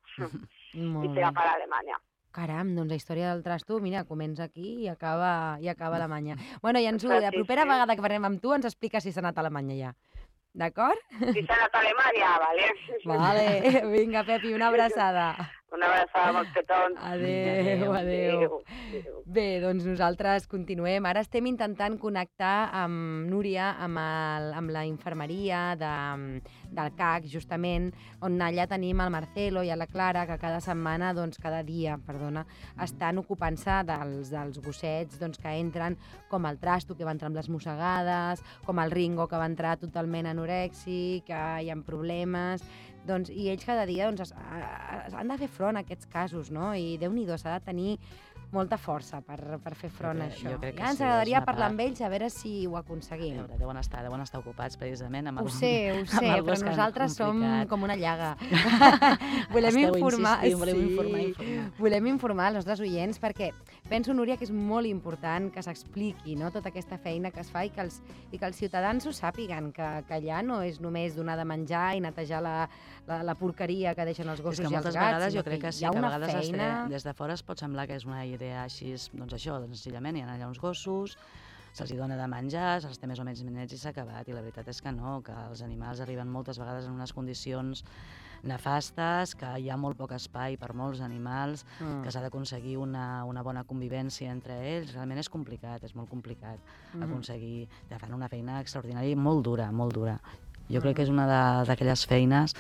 y Molt se va bé. para Alemania. Caram, doncs la història del trasto, mira, comença aquí i acaba, i acaba a Alemanya. Bueno, i ens ho, Sí, la propera sí. vegada que parlem amb tu ens explica si s'ha anat a Alemanya ja. D'acord? Si se ha anat a Alemania, vale. Vale, vinga, Pepi, una abraçada. Una abraçada molt petons. Adéu, adéu. Adéu. Bé, doncs nosaltres continuem. Ara estem intentant connectar amb Núria, amb, el, amb la infermeria de, del C A C, justament, on allà tenim el Marcelo i la Clara, que cada setmana, doncs cada dia, perdona, estan ocupant-se dels, dels gossets doncs, que entren, com el Trasto, que va entrar amb les mossegades, com el Ringo, que va entrar totalment anorèxic, que hi ha problemes... Doncs, i ells cada dia doncs, es, es, han de fer front a aquests casos, no? I Déu-n'hi-do, s'ha de tenir molta força per, per fer front a crec- això. jo crec que Ja ens sí, és agradaria una parlar part- amb ells a veure si ho A aconseguim. veure, deuen estar, deuen estar ocupats precisament amb Ho el... sé, ho amb sé, el però gos que han nosaltres som complicat. com una llaga. volem Esteu informar, insistint, voleu sí, informar, informar. volem informar els nostres oients perquè penso, Núria, que és molt important que s'expliqui, no?, tota aquesta feina que es fa i que els, i que els ciutadans ho sàpiguen, que, que allà no és només donar de menjar i netejar la, la, la porqueria que deixen els És gossos que i els moltes gats, vegades sinó jo crec que sí, hi ha que a una vegades es té, feina... des de fora es pot semblar que és una idea així, doncs això, senzillament hi ha allà uns gossos, se'ls dona de menjar, se'ls té més o menys nets i s'ha acabat. I la veritat és que no, que els animals arriben moltes vegades en unes condicions nefastes, que hi ha molt poc espai per molts animals, mm. que s'ha d'aconseguir una, una bona convivència entre ells. Realment és complicat, és molt complicat mm. aconseguir... Ja fan una feina extraordinària i molt dura, molt dura. Jo mm. crec que és una d'aquelles feines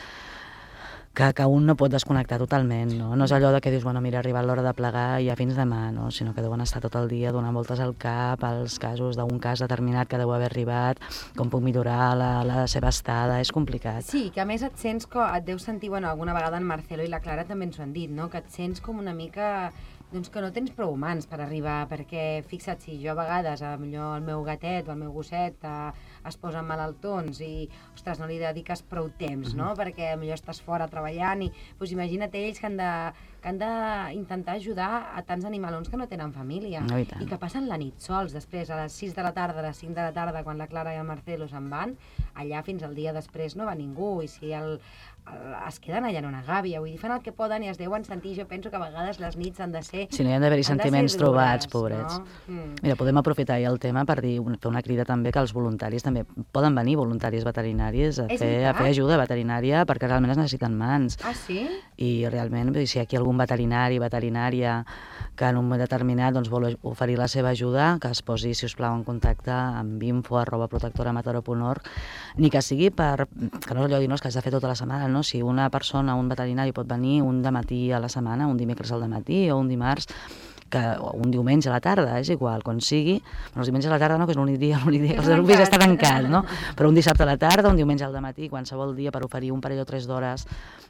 que, que un no pot desconnectar totalment, no? No és allò de que dius, bueno, mira, ha arribat l'hora de plegar i ja fins demà, no? Sinó que deuen estar tot el dia donant voltes al cap, als casos d'un cas determinat que deu haver arribat, com puc millorar la, la seva estada, és complicat. Sí, que a més et sents, com, et deus sentir, bueno, alguna vegada en Marcelo i la Clara també ens ho han dit, no? Que et sents com una mica... doncs que no tens prou humans per arribar, perquè fixa't, si jo a vegades, millor el meu gatet o el meu gosset eh, es posen malaltons i, ostres, no li dediques prou temps, no? Mm-hmm. Perquè millor estàs fora treballant i, doncs imagina't ells que han de que han d'intentar ajudar a tants animalons que no tenen família no, i, i que passen la nit sols, després a les sis de la tarda, a les cinc de la tarda, quan la Clara i el Marcelo se'n van, allà fins al dia després no va ningú, i si el, el, es queden allà en una gàbia, vull dir, fan el que poden i es deuen sentir, jo penso que a vegades les nits han de ser... Si no hi han d'haver-hi sentiments dures, trobats, pobrets. No? Mm. Mira, podem aprofitar ja el tema per dir, fer una crida també que els voluntaris també poden venir, voluntaris veterinaris, a, fer, a fer ajuda veterinària, perquè realment es necessiten mans. Ah, sí? I realment, si hi ha aquí algun veterinari, veterinària, que en un moment determinat doncs, vol oferir la seva ajuda, que es posi, si us plau, en contacte amb info arroba protectoramataró punt org, ni que sigui per... que no és allò de dir, no, és que has de fer tota la setmana, no? Si una persona, un veterinari pot venir un dematí a la setmana, un dimecres al dematí o un dimarts, que un diumenge a la tarda, és igual, quan sigui, però els diumenges a la tarda no, que és l'únic dia, l'únic dia que el servici està tancat, no? Però un dissabte a la tarda, un diumenge al dematí, qualsevol dia per oferir un parell o tres d'hores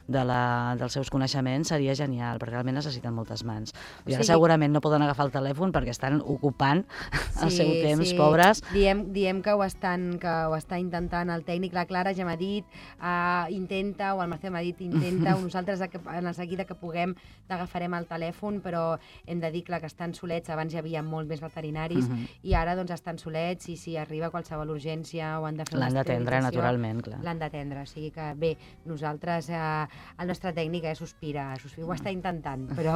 de la, dels seus coneixements seria genial, perquè realment necessiten moltes mans. I ara sí, segurament no poden agafar el telèfon perquè estan ocupant sí, el seu temps, sí. pobres. Diem, diem que ho estan que ho està intentant el tècnic, la Clara ja m'ha dit, uh, intenta, o el Marcel m'ha dit, intenta, o nosaltres en el seguida que puguem t'agafarem el telèfon, però hem de dir que estan solets, abans hi havia molt més veterinaris, uh-huh. i ara doncs estan solets i si arriba qualsevol urgència o han de fer una l'han d'atendre, naturalment, clar. L'han d'atendre, o sigui que bé, nosaltres, eh, el nostre tècnic eh, sospira, sospira, ho està intentant, però,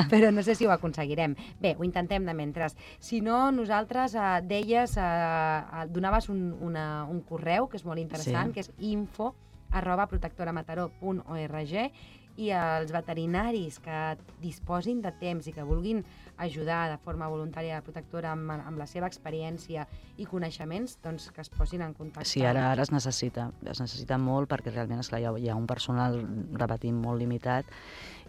però no sé si ho aconseguirem. Bé, ho intentem de mentre. Si no, nosaltres eh, deies, eh, donaves un, una, un correu que és molt interessant, sí. que és info arroba protectoramataró punt org, i els veterinaris que disposin de temps i que vulguin ajudar de forma voluntària a la protectora amb, amb la seva experiència i coneixements, doncs que es posin en contacte. Sí, ara, ara es necessita, es necessita molt perquè realment esclar, hi, ha, hi ha un personal, repetim, molt limitat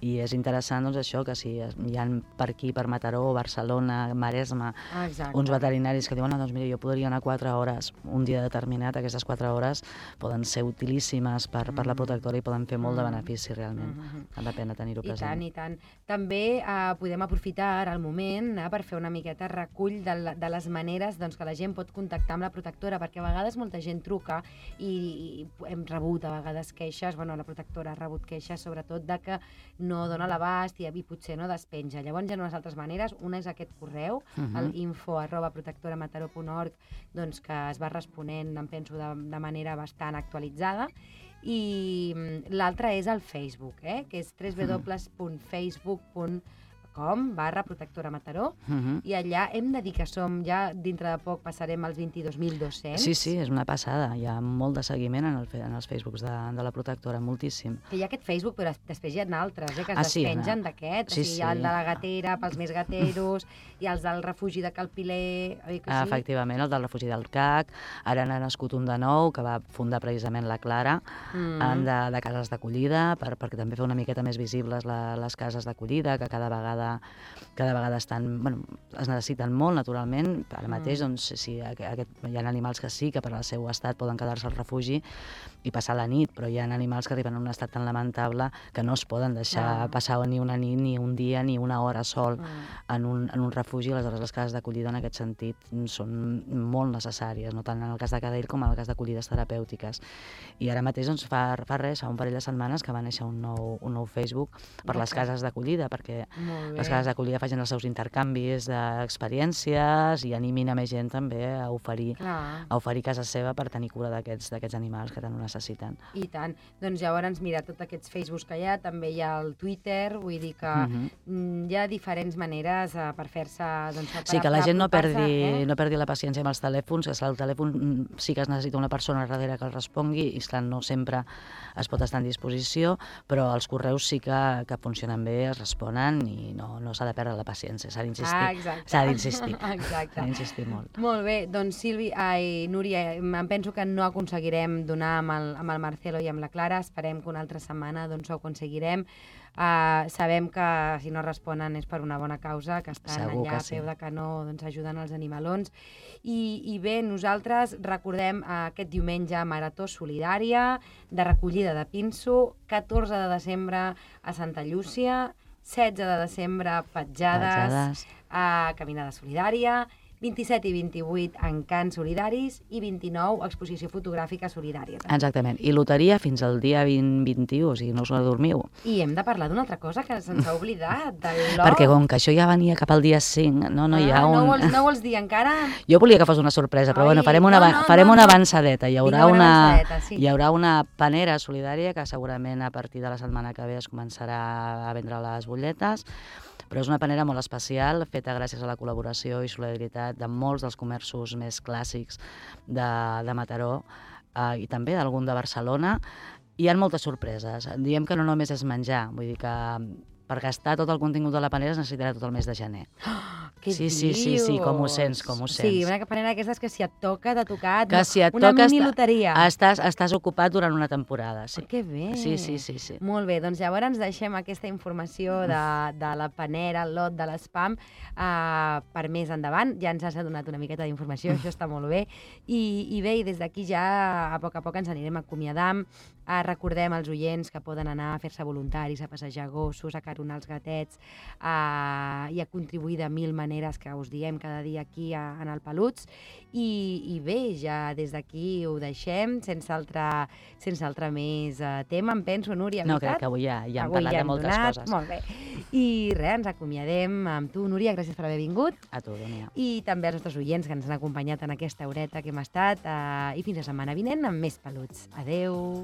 i és interessant doncs, això, que si hi ha per aquí, per Mataró, Barcelona, Maresme, ah, uns veterinaris que diuen, no, doncs mira, jo podria anar quatre hores un dia determinat, aquestes quatre hores poden ser utilíssimes per, mm. per la protectora i poden fer molt de benefici realment. Mm-hmm. Val la pena tenir-ho present. I tant, i tant. També eh, podem aprofitar ara el moment eh, per fer una miqueta recull de, la, de les maneres doncs, que la gent pot contactar amb la protectora, perquè a vegades molta gent truca i, i hem rebut a vegades queixes, bueno, la protectora ha rebut queixes sobretot de que no dona l'abast i, i potser no despenja. Llavors hi ha unes altres maneres, una és aquest correu, uh-huh. el info arroba protectoramataró punt org, doncs que es va responent, em penso, de, de manera bastant actualitzada, i l'altra és el Facebook, eh? que és w w w punt facebook punt com barra protectora Mataró, uh-huh. i allà hem de dir que som, ja dintre de poc passarem als vint-i-dos mil dos-cents. Sí, sí, és una passada, hi ha molt de seguiment en, el, en els Facebooks de, de la protectora, moltíssim. Que hi ha aquest Facebook, però després hi ha altres, eh, que es ah, despengen sí, d'aquest, sí, o sigui, hi ha el de la gatera pels més gateros, i els del refugi de Calpiler, oi que sí? Ah, efectivament, el del refugi del C A C, ara n'ha nascut un de nou, que va fundar precisament la Clara, mm. de, de cases d'acollida, per, perquè també fer una miqueta més visibles la, les cases d'acollida, que cada vegada cada vegada estan, bueno, es necessiten molt, naturalment. Ara mateix, mm. doncs, si aquest, hi ha animals que sí, que per al seu estat poden quedar-se al refugi i passar la nit, però hi ha animals que arriben en un estat tan lamentable que no es poden deixar ah. passar ni una nit, ni un dia, ni una hora sol mm. en, un, en un refugi. Aleshores, les cases d'acollida en aquest sentit són molt necessàries, no tant en el cas de cadell com en el cas d'acollides terapèutiques. I ara mateix, doncs, fa, fa res, fa un parell de setmanes que va néixer un nou, un nou Facebook per les cases d'acollida, perquè les cases d'acollida facin els seus intercanvis d'experiències i animin a més gent també a oferir, a oferir casa seva per tenir cura d'aquests animals que tant ho necessiten. I tant. Doncs llavors, mira, tots aquests Facebooks que hi ha, també hi ha el Twitter, vull dir que uh-huh. hi ha diferents maneres uh, per fer-se... Doncs, per sí, que la gent no perdi, eh? no perdi la paciència amb els telèfons, que el telèfon sí que es necessita una persona darrere que el respongui i, esclar, no sempre es pot estar en disposició, però els correus sí que, que funcionen bé, es responen i no, no s'ha de perdre la paciència, s'ha d'insistir. Ah, exacte. S'ha d'insistir. Exacte. S'ha d'insistir molt. Molt bé, doncs Sílvi, ai, Núria, em penso que no aconseguirem donar amb el, amb el Marcelo i amb la Clara, esperem que una altra setmana doncs, ho aconseguirem. Uh, sabem que si no responen és per una bona causa, que estan Segur allà que sí. a peu de canó doncs, ajudant els animalons. I, i bé, nosaltres recordem uh, aquest diumenge Marató Solidària de recollida de pinso, catorze de desembre a Santa Llúcia, setze de desembre petjades, Petjades. a Caminada Solidària, vint-i-set i vint-i-vuit encants solidaris i vint-i-nou exposició fotogràfica solidària. També. Exactament. I loteria fins al dia vint vint-i-u, o sigui, no us adormiu. I hem de parlar d'una altra cosa que se'ns ha oblidat, del lot. Perquè com que això ja venia cap al dia cinc, no, no hi ha ah, un... No vols, no vols dir encara? Jo volia que fos una sorpresa, però Ai, bueno, farem una, no, no, farem no, una no. avançadeta. Hi haurà, Vinga, una una, avançadeta, sí. hi haurà una panera solidària que segurament a partir de la setmana que ve es començarà a vendre les butlletes, però és una panera molt especial, feta gràcies a la col·laboració i solidaritat de molts dels comerços més clàssics de, de Mataró eh, i també d'algun de Barcelona. Hi ha moltes sorpreses. Diem que no només és menjar, vull dir que per gastar tot el contingut de la panera es necessitarà tot el mes de gener. Oh, què sí, dius? sí, sí, sí, com ho sents, com ho sents. Sí, una panera d'aquestes que si et toca, t'ha tocat, que si et una toca mini loteria. Estàs, estàs ocupat durant una temporada. Sí. Oh, que bé. Sí, sí, sí, sí. Molt bé, doncs llavors ens deixem aquesta informació de, de la panera, el lot de l'espam, uh, per més endavant. Ja ens has donat una miqueta d'informació, això està molt bé. I, i bé, i des d'aquí ja a poc a poc ens anirem acomiadant. Uh, recordem als oients que poden anar a fer-se voluntaris, a passejar gossos, a caronar els gatets uh, i a contribuir de mil maneres que us diem cada dia aquí a, en el Peluts. I, i bé, ja des d'aquí ho deixem, sense altre, sense altre més uh, tema, em penso, Núria, No, veritat? crec que avui ja, ja hem Avui parlat ja de hem moltes donat, coses. Molt bé. I res, ens acomiadem amb tu, Núria, gràcies per haver vingut. A tu, Dònia. I també als nostres oients que ens han acompanyat en aquesta horeta que hem estat. Uh, I fins la setmana vinent amb més Peluts. Adeu!